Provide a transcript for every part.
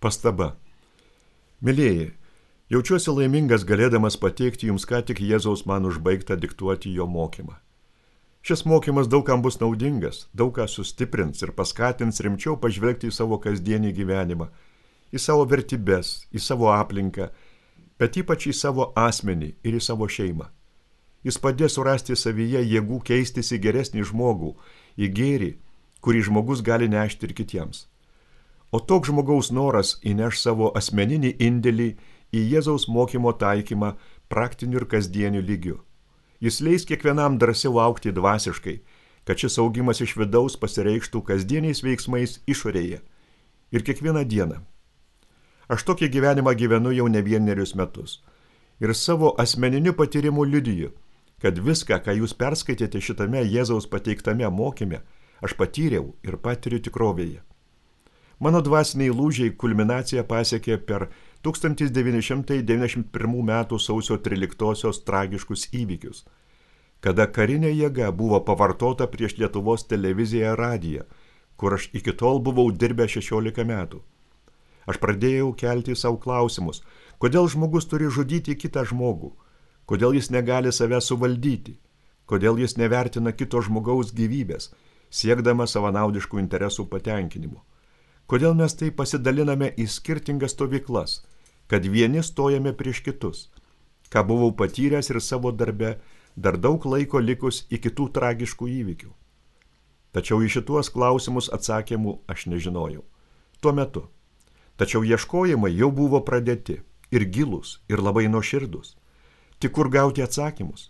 Pastaba. Mylėjai, jaučiuosi laimingas galėdamas pateikti jums ką tik Jėzaus man užbaigtą diktuoti jo mokymą. Šis mokymas daugam bus naudingas, daug ką sustiprins ir paskatins rimčiau pažvelgti į savo kasdienį gyvenimą, į savo vertybes, į savo aplinką, bet ypač į savo asmenį ir į savo šeimą. Jis padės surasti savyje jėgų keistis į geresnį žmogų, į gėrį, kurį žmogus gali nešti ir kitiems. O toks žmogaus noras įneš savo asmeninį indėlį į Jėzaus mokymo taikymą praktiniu ir kasdieniu lygiu. Jis leis kiekvienam drąsiau augti dvasiškai, kad šis augimas iš vidaus pasireikštų kasdieniais veiksmais išorėje. Ir kiekvieną dieną. Aš tokį gyvenimą gyvenu jau ne vienerius metus. Ir savo asmeniniu patyrimu liudiju, kad viską, ką jūs perskaitėte šitame Jėzaus pateiktame mokyme, aš patyriau ir patiriu tikrovėje. Mano dvasiniai lūžiai kulminaciją pasiekė per 1991 m. sausio 13-osios tragiškus įvykius, kada karinė jėga buvo pavartota prieš Lietuvos televiziją ir radiją, kur aš iki tol buvau dirbęs 16 metų. Aš pradėjau kelti savo klausimus, kodėl žmogus turi žudyti kitą žmogų, kodėl jis negali save suvaldyti, kodėl jis nevertina kito žmogaus gyvybės, siekdama savanaudiškų interesų patenkinimo. Kodėl mes tai pasidaliname į skirtingas stovyklas, kad vieni stojame prieš kitus, ką buvau patyręs ir savo darbe dar daug laiko likus iki tų tragiškų įvykių. Tačiau į šituos klausimus atsakymų aš nežinojau. Tuo metu. Tačiau ieškojimai jau buvo pradėti ir gilūs, ir labai nuoširdūs. Tik kur gauti atsakymus?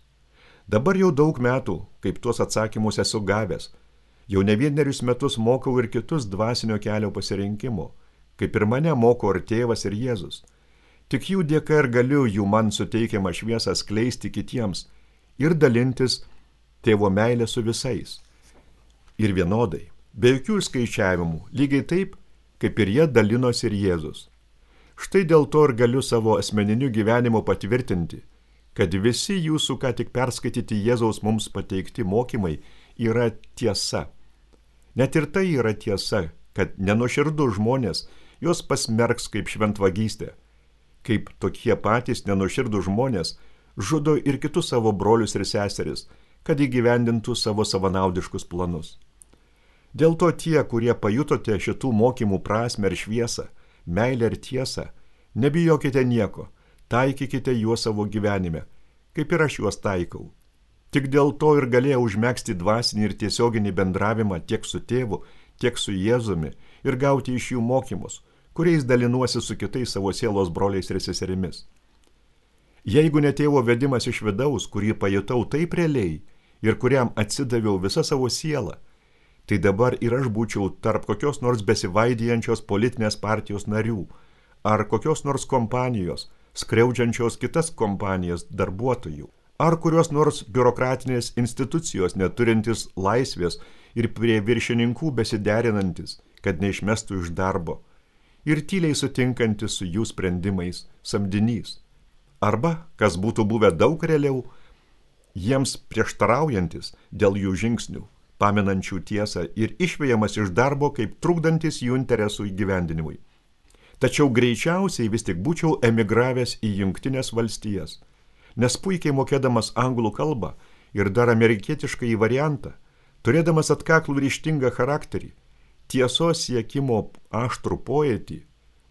Dabar jau daug metų, kaip tuos atsakymus esu gavęs, jau ne vienerius metus mokau ir kitus dvasinio kelio pasirinkimo, kaip ir mane moko ir tėvas ir Jėzus. Tik jų dėka ir galiu jų man suteikiamą šviesą skleisti kitiems ir dalintis tėvo meilę su visais. Ir vienodai, be jokių skaičiavimų, lygiai taip, kaip ir jie dalinosi ir Jėzus. Štai dėl to ir galiu savo asmeniniu gyvenimu patvirtinti, kad visi jūsų ką tik perskaityti Jėzaus mums pateikti mokymai yra tiesa. Net ir tai yra tiesa, kad nenuoširdų žmonės juos pasmerks kaip šventvagystė, kaip tokie patys nenuoširdų žmonės žudo ir kitus savo brolius ir seseris, kad įgyvendintų savo savanaudiškus planus. Dėl to tie, kurie pajutote šitų mokymų prasmę ir šviesą, meilę ir tiesą, nebijokite nieko, taikykite juos savo gyvenime, kaip ir aš juos taikau. Tik dėl to ir galėjau užmegzti dvasinį ir tiesioginį bendravimą tiek su tėvu, tiek su Jėzumi ir gauti iš jų mokymus, kuriais dalinuosi su kitais savo sielos broliais ir seserimis. Jeigu ne tėvo vedimas iš vidaus, kurį pajutau taip realiai ir kuriam atsidaviau visą savo sielą, tai dabar ir aš būčiau tarp kokios nors besivaidijančios politinės partijos narių ar kokios nors kompanijos, skriaudžiančios kitas kompanijas darbuotojų, ar kurios nors biurokratinės institucijos neturintis laisvės ir prie viršininkų besiderinantis, kad neišmestų iš darbo, ir tyliai sutinkantis su jų sprendimais samdinys. Arba, kas būtų buvę daug realiau, jiems prieštaraujantis dėl jų žingsnių, paminančių tiesą ir išvejamas iš darbo kaip trukdantis jų interesų įgyvendinimui. Tačiau greičiausiai vis tik būčiau emigravęs į Jungtines valstijas, nes puikiai mokėdamas anglų kalbą ir dar amerikietišką į variantą, turėdamas atkaklų ryžtingą charakterį, tiesos siekimo aštrų pojėtį,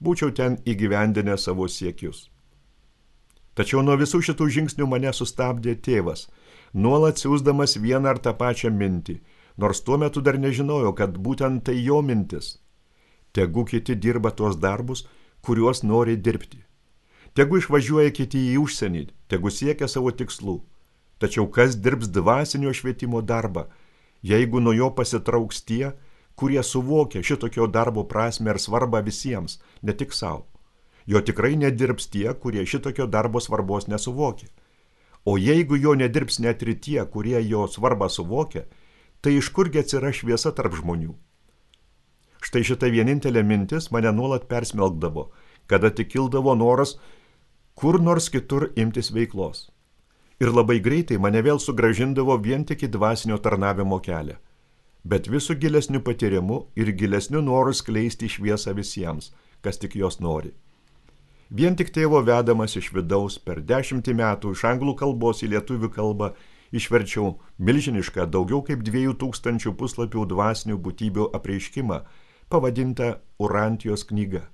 būčiau ten įgyvendinę savo siekius. Tačiau nuo visų šitų žingsnių mane sustabdė tėvas, nuolat siųsdamas vieną ar tą pačią mintį, nors tuo metu dar nežinojau, kad būtent tai jo mintis. Tegu kiti dirba tuos darbus, kuriuos nori dirbti. Tegu išvažiuoja kiti į užsienį, tegu siekia savo tikslų. Tačiau kas dirbs dvasinio švietimo darbą, jeigu nuo jo pasitrauks tie, kurie suvokia šitokio darbo prasmę ir svarbą visiems, ne tik savo. Jo tikrai nedirbs tie, kurie šitokio darbo svarbos nesuvokia. O jeigu jo nedirbs net ir tie, kurie jo svarbą suvokia, tai iš kurgi atsiras šviesa tarp žmonių? Štai šita vienintelė mintis mane nuolat persmelkdavo, kada tik kildavo noras kur nors kitur imtis veiklos. Ir labai greitai mane vėl sugrąžindavo vien tik į dvasinio tarnavimo kelią, bet visų gilesnių patyrimų ir gilesnių norų skleisti šviesą visiems, kas tik jos nori. Vien tik tėvo vedamas iš vidaus per 10 metų iš anglų kalbos į lietuvių kalbą išverčiau milžinišką daugiau kaip 2000 puslapių dvasinių būtybių apreiškimą, pavadintą Urantijos knyga.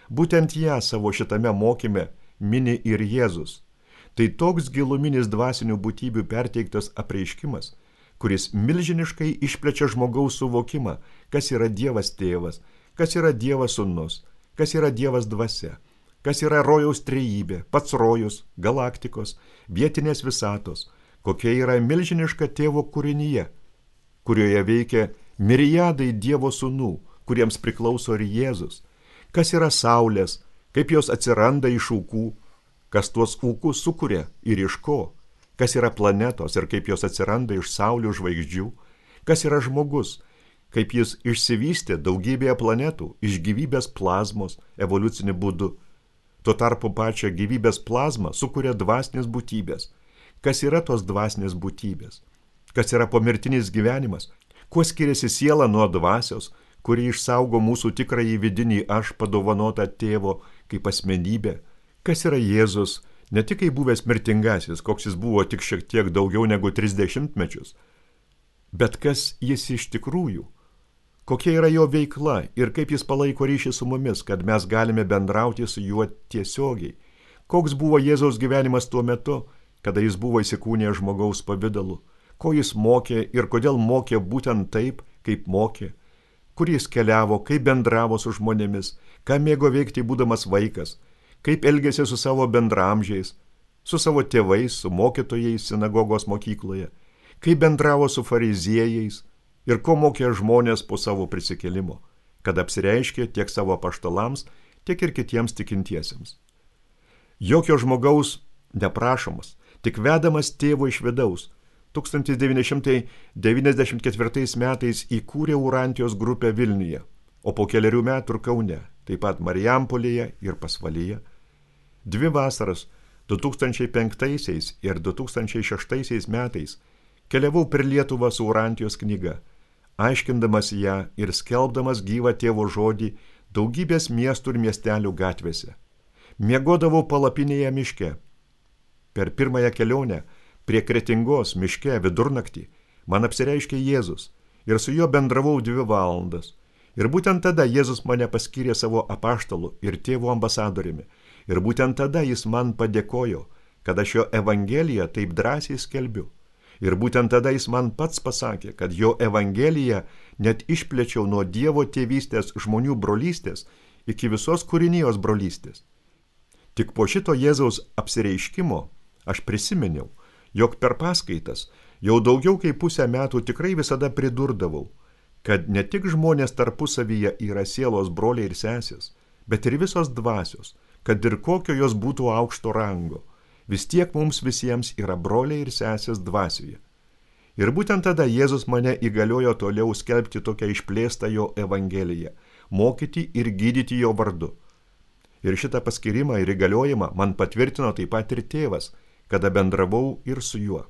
Būtent ją savo šitame mokyme mini ir Jėzus. Tai toks giluminis dvasinių būtybių perteiktas apreiškimas, kuris milžiniškai išplečia žmogaus suvokimą, kas yra Dievas tėvas, kas yra Dievas sūnus, kas yra Dievas dvasia, kas yra rojaus trejybė, pats rojus, galaktikos, vietinės visatos, kokia yra milžiniška tėvo kūrinyje, kurioje veikia miriadai Dievo sūnų, kuriems priklauso ir Jėzus, kas yra saulės, kaip jos atsiranda iš ūkų, kas tuos ūkus sukuria ir iš ko, kas yra planetos ir kaip jos atsiranda iš saulių žvaigždžių, kas yra žmogus, kaip jis išsivystė daugybėje planetų iš gyvybės plazmos evoliuciniu būdu. Tuo tarpu pačią gyvybės plazmą sukuria dvasinės būtybės. Kas yra tos dvasinės būtybės? Kas yra pomirtinis gyvenimas? Kuo skiriasi siela nuo dvasios, kuri išsaugo mūsų tikrąjį vidinį aš padovanotą tėvo kaip asmenybę? Kas yra Jėzus, ne tik kaip buvęs mirtingasis, koks jis buvo tik šiek tiek daugiau negu 30 mečius, bet kas jis iš tikrųjų? Kokia yra jo veikla ir kaip jis palaiko ryšį su mumis, kad mes galime bendrauti su juo tiesiogiai? Koks buvo Jėzaus gyvenimas tuo metu, kada jis buvo įsikūnijęs žmogaus pavidalu? Ko jis mokė ir kodėl mokė būtent taip, kaip mokė? Kur jis keliavo, kaip bendravo su žmonėmis, ką mėgo veikti būdamas vaikas, kaip elgėsi su savo bendramžiais, su savo tėvais, su mokytojais sinagogos mokykloje, kaip bendravo su fariziejais ir ko mokė žmonės po savo prisikėlimo, kad apsireiškė tiek savo apaštalams, tiek ir kitiems tikintiesiems. Jokio žmogaus neprašomas, tik vedamas tėvo iš vidaus, 1994 metais įkūrė Urantijos grupę Vilniuje, o po kelerių metų ir Kaune, taip pat Marijampolėje ir Pasvalyje. 2 vasaras 2005 ir 2006 metais keliavau per Lietuvą su Urantijos knyga, aiškindamas ją ir skelbdamas gyvą tėvo žodį daugybės miestų ir miestelių gatvėse. Miegodavau palapinėje miške. Per pirmąją kelionę prie Kretingos miške vidurnaktį man apsireiškė Jėzus ir su juo bendravau 2 valandas. Ir būtent tada Jėzus mane paskyrė savo apaštalu ir tėvo ambasadoriumi. Ir būtent tada jis man padėkojo, kad aš jo evangeliją taip drąsiai skelbiu. Ir būtent tada jis man pats pasakė, kad jo evangeliją net išplėčiau nuo Dievo tėvystės žmonių brolystės iki visos kūrinijos brolystės. Tik po šito Jėzaus apsireiškimo aš prisiminiau, jog per paskaitas jau daugiau kaip pusę metų tikrai visada pridurdavau, kad ne tik žmonės tarpusavyje yra sielos broliai ir sesės, bet ir visos dvasios, kad ir kokio jos būtų aukšto rango, vis tiek mums visiems yra broliai ir sesės dvasioje. Ir būtent tada Jėzus mane įgaliojo toliau skelbti tokią išplėstą jo evangeliją, mokyti ir gydyti jo vardu. Ir šitą paskyrimą ir įgaliojimą man patvirtino taip pat ir tėvas, kada bendravau ir su juo.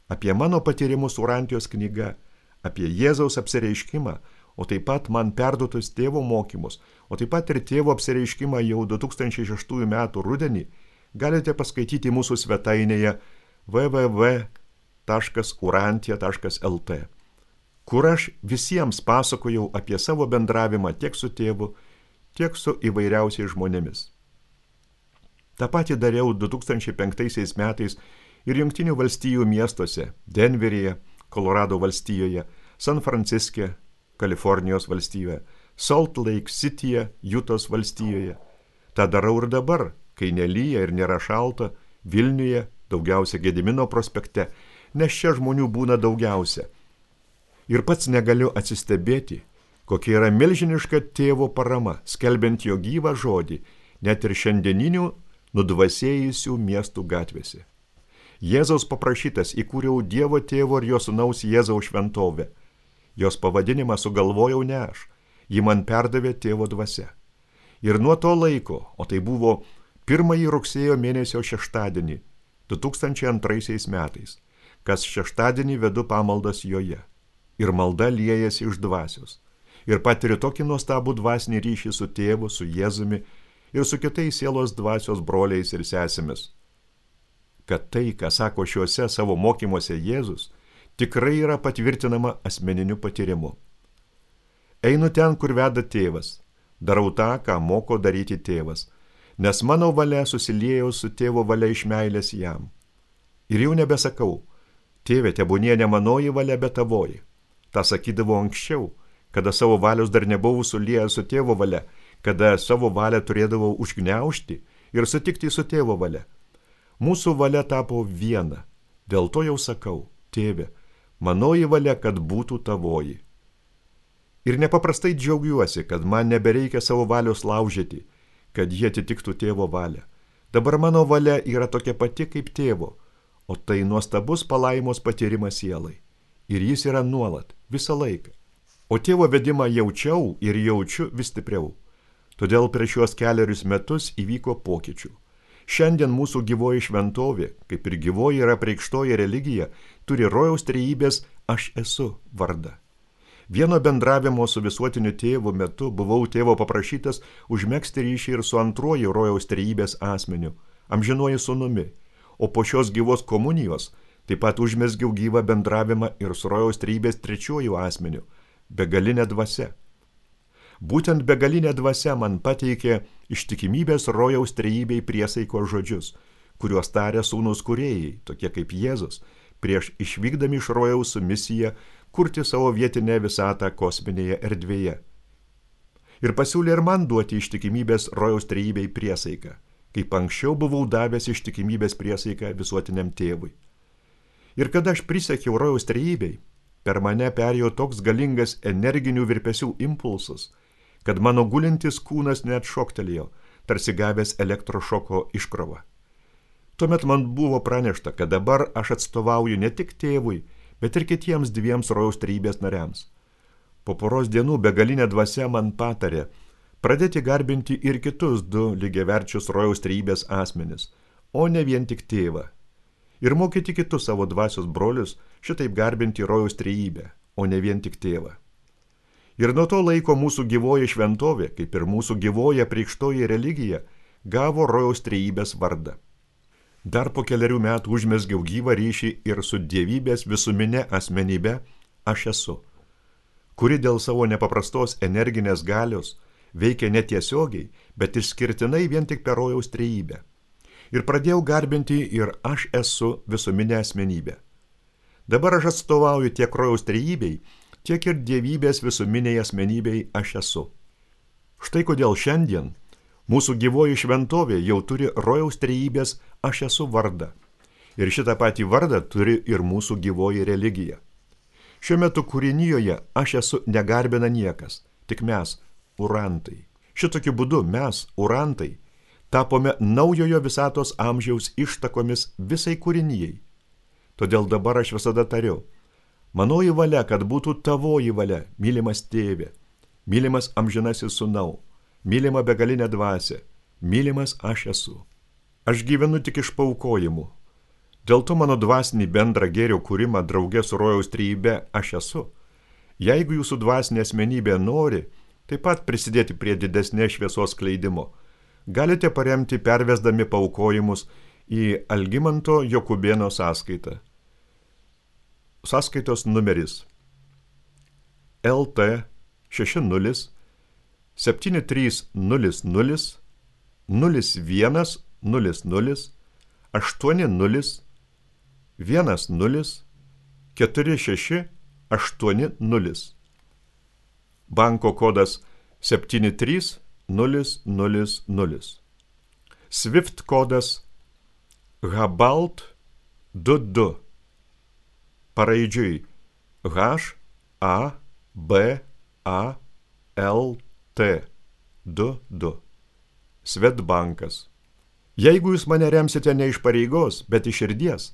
Apie mano patyrimus Urantijos knyga, apie Jėzaus apsireiškimą, o taip pat man perduotus tėvo mokymus, o taip pat ir tėvo apsireiškimą jau 2006 metų rudenį, galite paskaityti mūsų svetainėje www.urantija.lt, kur aš visiems pasakojau apie savo bendravimą tiek su tėvu, tiek su įvairiausiais žmonėmis. Ta pati dariau 2005 metais ir Jungtinių valstijų miestuose, Denveryje, Kolorado valstijoje, San Franciske, Kalifornijos valstijoje, Salt Lake Cityje, Jutos valstijoje. Ta darau ir dabar, kai nelyja ir nėra šalta, Vilniuje, daugiausia Gedimino prospekte, nes čia žmonių būna daugiausia. Ir pats negaliu atsistebėti, kokia yra milžiniška tėvo parama, skelbiant jo gyvą žodį, net ir šiandieninių nudvasėjusių miestų gatvėse. Jėzaus paprašytas įkūriau Dievo tėvo ir jo sūnaus Jėzaus šventovę. Jos pavadinimą sugalvojau ne aš, ji man perdavė tėvo dvasia. Ir nuo to laiko, o tai buvo 1 rugsėjo mėnesio šeštadienį, 2002 metais, kas šeštadienį vedu pamaldas joje. Ir malda liejasi iš dvasios. ir patiriu tokį nuostabų dvasinį ryšį su tėvu, su Jėzumi ir su kitais sielos dvasios broliais ir sesėmis, kad tai, ką sako šiuose savo mokymuose Jėzus, tikrai yra patvirtinama asmeniniu patyrimu. Einu ten, kur veda tėvas, darau tą, ką moko daryti tėvas, nes mano valia susiliejau su tėvo valia iš meilės jam. Ir jau nebesakau, tėve, tebūnie ne manoji valia, bet tavoji. Ta sakydavau anksčiau, kada savo valios dar nebuvau suliejęs su tėvo valia, kada savo valią turėdavau užgniaužti ir sutikti su tėvo valia. Mūsų valia tapo viena, dėl to jau sakau, tėve, manoji valia, kad būtų tavoji. Ir nepaprastai džiaugiuosi, kad man nebereikia savo valios laužyti, kad jie atitiktų tėvo valią. Dabar mano valia yra tokia pati kaip tėvo, o tai nuostabus palaimos patyrimas sielai. Ir jis yra nuolat, visą laiką. O tėvo vedimą jaučiau ir jaučiu vis stipriau. Todėl prieš šiuos 4 metus įvyko pokyčių. Šiandien mūsų gyvoji šventovė, kaip ir gyvoji yra apreikštoji religija, turi rojaus trejybės aš esu vardą. Vieno bendravimo su visuotiniu tėvu metu buvau tėvo paprašytas užmegzti ryšį ir su antruoju rojaus trejybės asmeniu, amžinuoju sūnumi, o po šios gyvos komunijos taip pat užmezgiau gyvą bendravimą ir su rojaus trejybės trečiuoju asmeniu, begalinė dvasia. Būtent begalinė dvasia man pateikė ištikimybės rojaus trejybei priesaiko žodžius, kuriuos tarė sūnūs kūrėjai, tokie kaip Jėzus, prieš išvykdami iš rojaus su misija kurti savo vietinę visatą kosminėje erdvėje. Ir pasiūlė ir man duoti ištikimybės rojaus trejybei priesaiką, kaip anksčiau buvau davęs ištikimybės priesaiką visuotiniam tėvui. Ir kada aš prisiekiau rojaus trejybei, per mane perėjo toks galingas energinių virpesių impulsas, kad mano gulintis kūnas net šoktelėjo, tarsi gavęs elektrošoko iškrovą. Tuomet man buvo pranešta, kad dabar aš atstovauju ne tik tėvui, bet ir kitiems 2 rojaus trejybės nariams. Po poros dienų begalinė dvasia man patarė pradėti garbinti ir kitus 2 lygiaverčius rojaus trejybės asmenis, o ne vien tik tėvą. Ir mokyti kitus savo dvasios brolius šitaip garbinti rojaus trejybę, o ne vien tik tėvą. Ir nuo to laiko mūsų gyvoji šventovė, kaip ir mūsų gyvoji apreikštoji religija, gavo rojaus trejybės vardą. Dar po 4 metų užmezgiau gyvą ryšį ir su dievybės visumine asmenybe aš esu, kuri dėl savo nepaprastos energinės galios veikia netiesiogiai, bet išskirtinai vien tik per rojaus trejybę. Ir pradėjau garbinti ir aš esu visuminė asmenybė. Dabar aš atstovauju tiek rojaus trejybei, tiek ir dievybės visuminiai asmenybei aš esu. Štai kodėl šiandien mūsų gyvoji šventovė jau turi rojaus trejybės aš esu vardą. Ir šitą patį vardą turi ir mūsų gyvoji religija. Šiuo metu kūrinijoje aš esu negarbina niekas, tik mes, urantai. Šitokiu būdu mes, urantai, tapome naujojo visatos amžiaus ištakomis visai kūrinijai. Todėl dabar aš visada tariu, manoji valia, kad būtų tavoji valia, mylimas tėve, mylimas amžinasis sūnau, mylima begalinė dvasia, mylimas aš esu. Aš gyvenu tik iš paaukojimų. Dėl to mano dvasinį bendrą gėrio kūrimą drauge su rojaus trejybe aš esu. Jeigu jūsų dvasinė asmenybė nori taip pat prisidėti prie didesnės šviesos skleidimo, galite paremti pervesdami paaukojimus į Algimanto Jokubėno sąskaitą. Sąskaitos numeris LT 60 7300 0100 80 10 4680. Banko kodas 73000. Swift kodas HABALT 22. Paraidžiui HABALT 22. Svetbankas. Jeigu jūs mane remsite ne iš pareigos, bet iš širdies,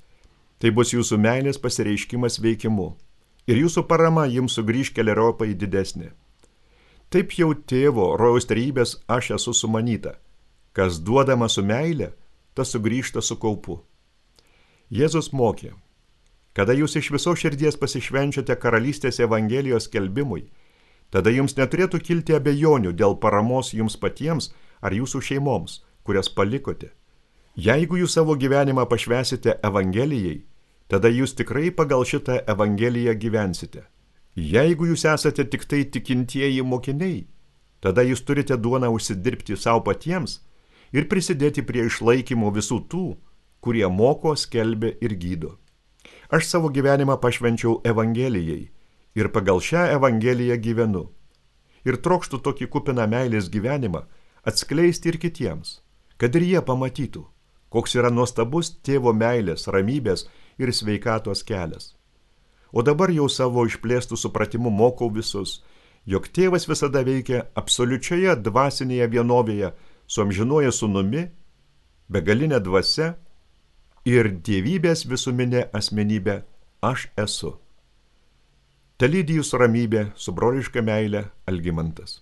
tai bus jūsų meilės pasireiškimas veikimu ir jūsų parama jums sugrįž keleriopai didesnė. Taip jau tėvo rojaus trejybės aš esu sumanyta. Kas duodama su meile, tas sugrįžta su kaupu. Jėzus mokė, kada jūs iš viso širdies pasišvenčiate karalystės evangelijos skelbimui, Tada jums neturėtų kilti abejonių dėl paramos jums patiems ar jūsų šeimoms, kurias palikote. Jeigu jūs savo gyvenimą pašvęsite Evangelijai, tada jūs tikrai pagal šitą Evangeliją gyvensite. Jeigu jūs esate tik tai tikintieji mokiniai, tada jūs turite duoną užsidirbti savo patiems ir prisidėti prie išlaikymo visų tų, kurie moko, skelbia ir gydo. Aš savo gyvenimą pašvenčiau Evangelijai ir pagal šią Evangeliją gyvenu. Ir trokštu tokį kupiną meilės gyvenimą atskleisti ir kitiems, kad ir jie pamatytų, koks yra nuostabus tėvo meilės, ramybės ir sveikatos kelias. O dabar jau savo išplėstų supratimu mokau visus, jog tėvas visada veikia absoliučioje dvasinėje vienovėje su amžinuoju sūnumi, begalinė dvasia ir dievybės visuminė asmenybė aš esu. Telydi jūsų ramybė su broliška meile Algimantas.